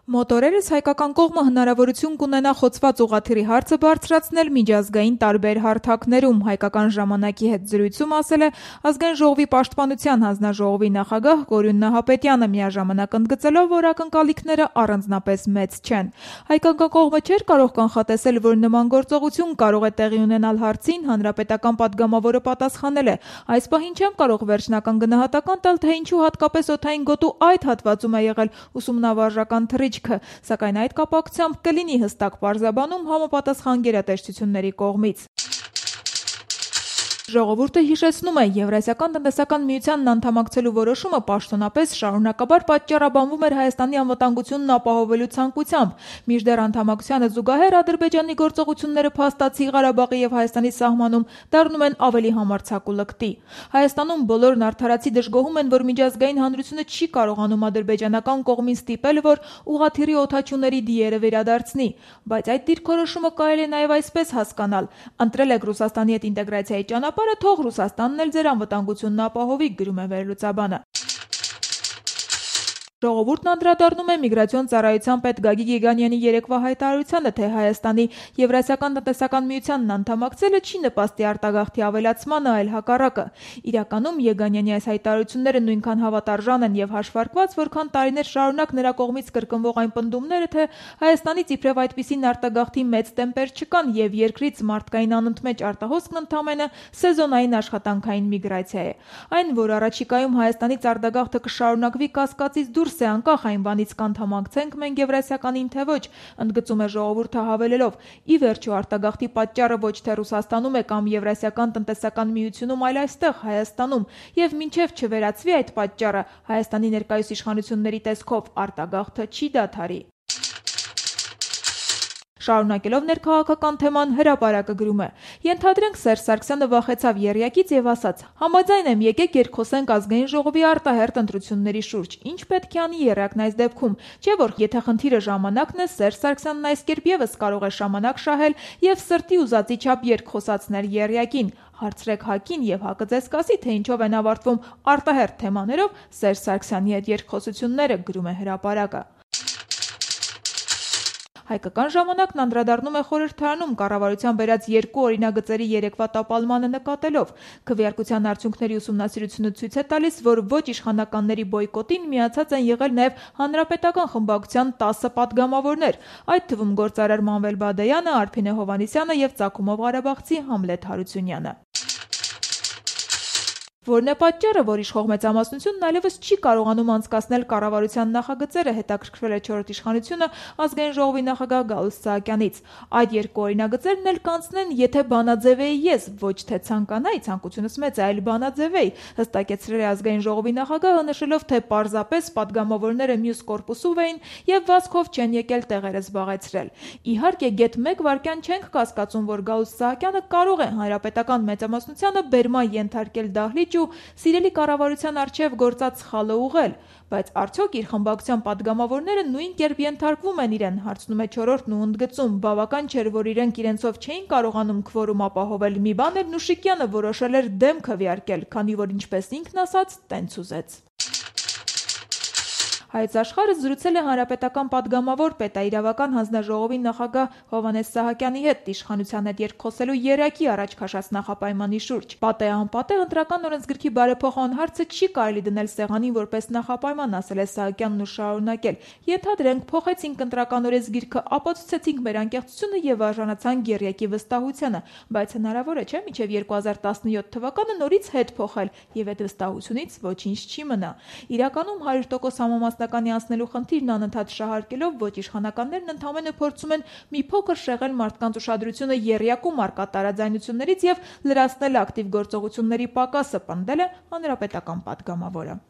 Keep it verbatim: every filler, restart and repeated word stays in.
Մոտորերս հայկական կողմը հնարավորություն կունենա խոցված ուղղաթիռի հարցը բարձրացնել միջազգային տարբեր հարթակներում, հայկական ժամանակի հետ զրույցում ասել է Ազգային ժողովի պաշտպանության հանձնաժողովի նախագահ Կորյուն Նահապետյանը, միաժամանակ ընդգծելով, որ ակնկալիքները առանձնապես մեծ չեն։ Հայկական կողմը չէր կարող կանխատեսել, որ նման գործողություն կարող է տեղի ունենալ հարցին, հանրապետական պատգամավորը պատասխանել է. այս պահին չեմ կարող վերջնական գնահատական տալ, թե ինչու հատկապես օդային գոտու այդ հատվածում է եղել ուսումնավարժական թռիչք, սակայն այդ կապակցությամբ կլինի հստակ պարզաբանում համապատասխան գերատեսչությունների կողմից։ Ժողովուրդը հիշեցնում է, Եվրասիական տնտեսական միությանն անդամակցելու որոշումը պաշտոնապես շարունակաբար պատճառաբանվում էր Հայաստանի անվտանգությունն ապահովելու ցանկությամբ, մինչդեռ անդամակցությանը զուգահեռ Ադրբեջանի գործողությունները փաստացի Ղարաբաղի եւ Հայաստանի սահմանում դառնում են ավելի համարձակ ու լկտի։ Հայաստանում բոլորն արդարացի դժգոհում են, որ միջազգային հանրությունը չի կարողանում ադրբեջանական կողմին ստիպել, որ ուղղաթիռի օդաչուների դիերը վերադարձնի, բայց այդ դիրքորոշումը կարելի է նաեւ այսպես հասկանալ. ընտրել եք Ռուսաստանի հետ ինտեգրացիայի ճանապարհը, թող Ռուսաստանն էլ ձեր անվտանգությունն ապահովի, գրում է վերլուծաբանը։ Ժողովուրդն անդրադառնում է միգրացիոն ծառայության պետ Գագիկ Եգանյանի երեկվա հայտարարությանը, թե Հայաստանի Եվրասիական տնտեսական միությանն անդամակցելը չի նպաստի արտագաղթի ավելացմանը, այլ հակառակը։ Իրականում Եգանյանի այս հայտարարությունները նույնքան հավատարժան են եւ հաշվարկված, որքան տարիներ շարունակ նրա կողմից կրկնվող այն պնդումները, թե Հայաստանից իբրև այդպիսին արտագաղթի մեծ տեմպեր չկան եւ երկրից մարդկային անընդմեջ արտահոսքն ընդամենը սեզոնային աշխատանքային միգրացիա է։ Այն, որ առաջիկայում Հայաստանից արտագաղթը կշարունակվի կասկածից դուրս է, անկախ այն բանից կանթամակցենք մենք Եվրասիականին, թե ոչ, ընդգծում է ժողովուրդը հավելելով. ի վերջո արտագաղթի պատճառը ոչ թե Ռուսաստանում է կամ Եվրասիական տնտեսական միությունում, այլ այստեղ Հայաստանում, եւ մինչեւ չվերացվի այդ պատճառը, Հայաստանի ներկայիս իշխանությունների տեսքով արտագաղթը չի դադարի։ Շարունակելով ներքաղաքական թեման, Հրապարակը գրում է. Ենթադրենք Սերժ Սարգսյանը վախեցավ եռյակից եւ ասաց. համաձայն եմ, եկեք երկխոսենք Ազգային ժողովի արտահերթ ընտրությունների շուրջ։ Ինչ պետք է անի եռյակն այս դեպքում, չէ՞ որ եթե խնդիրը ժամանակն է, Սերժ Սարգսյանն այս կերպ եւս կարող է ժամանակ շահել եւ սրտի ուզածի չափ երկխոսացնել եռյակին։ Հարցրեք ՀԱԿ-ին եւ ՀԱԿ-ը ձեզ կասի, թե ինչով են ավարտվում արտահերթ թեմաներով Սերժ Սարգսյանի հետ երկխոսությունները, գրում է Հրապարակը։ Հայկական ժամանակն անդրադառնում է խորհրդարանում կառավարության բերած երկու օրինագծերի երեկվա տապալմանը նկատելով։ Քվեարկության արդյունքների ուսումնասիրությունը ցույց է տալիս, որ ոչ իշխանականների բոյկոտին միացած են եղել նաև հանրապետական խմբակցության տասը պատգամավորներ, այդ թվում գործարար Մանվել Բադայանը, Արփինե Հովհաննիսյանը եւ Ծագումով Ղարաբաղցի Համլետ Հարությունյանը։ Որն է պատճառը, որ իշխող մեծամասնությունն այլևս չի կարողանում անցկացնել կառավարության նախագծերը, հետաքրքրվել է չորրորդ իշխանությունը Ազգային ժողովի նախագահ Գալուստ Սահակյանից։ Այդ երկու օրինագծերն էլ կանցնեն, եթե բանաձևեի ես, ոչ թե ցանկանայի, ցանկությունս մեծ է, այլ բանաձևեի, հստակեցրել է Ազգային ժողովի նախագահը, նշելով, թե պարզապես պատգամավորները մյուս կորպուսով էին եւ վազքով չեն եկել տեղերը զբաղեցրել։ Իհարկե, գեթ մեկ վայրկյան չենք կասկածում, որ Գալուստ Սահակյանը կարող է հանրապետական մեծամասնությանը բերման ենթարկել դահլիճ ու սիրելի կառավարության առջև գործած սխալը ուղղել, բայց արդյոք իր խմբակցության պատգամավորները նույն կերպ ենթարկվում են իրեն, հարցնում է չորրորդն ու ընդգծում, բավական չէր, որ իրենք իրենցով չէին կարողանում քվորում ապահովել, մի բան էր Նուշիկյանը որոշել էր դեմ քվեարկել, քանի որ ինչպես ինքն ասաց, տենց ուզեց։ Հայոց Աշխարհը զրուցել է հանրապետական պատգամավոր պետաիրավական հանձնաժողովի նախագահ Հովհաննես Սահակյանի հետ իշխանության հետ երկխոսելու երակի առաջ քաշած նախապայմանի շուրջ։ Պատեհ անպատեհ ընտրական օրենսգրքի բարեփոխման հարցը չի կարելի դնել սեղանին որպես նախապայման, ասել է Սահակյանն ու շարունակել. Ենթադրենք փոխեցինք ընտրական օրենսգիրքը, ապացուցեցինք մեր անկեղծությունը եւ արժանացանք երակի վստահությանը, բայց հնարավոր է չէ՞ մինչեւ երկու հազար տասնյոթ թվականը նորից հետ փոխել եւ այդ վստահությունից ոչինչ չի մնա։ Իրականում հարյուր տոկոս համամասնականի անցնելու խնդիրն անընդհատ շահարկելով ոչ իշխանականներն ընդամենը փորձում են մի փոքր շեղել մարդկանց ուշադրությունը եռյակում առկա տարաձայնություններից եւ լրացնել ակտիվ գործողությունների պակասը, պնդել է հանրապետական պատգամավորը։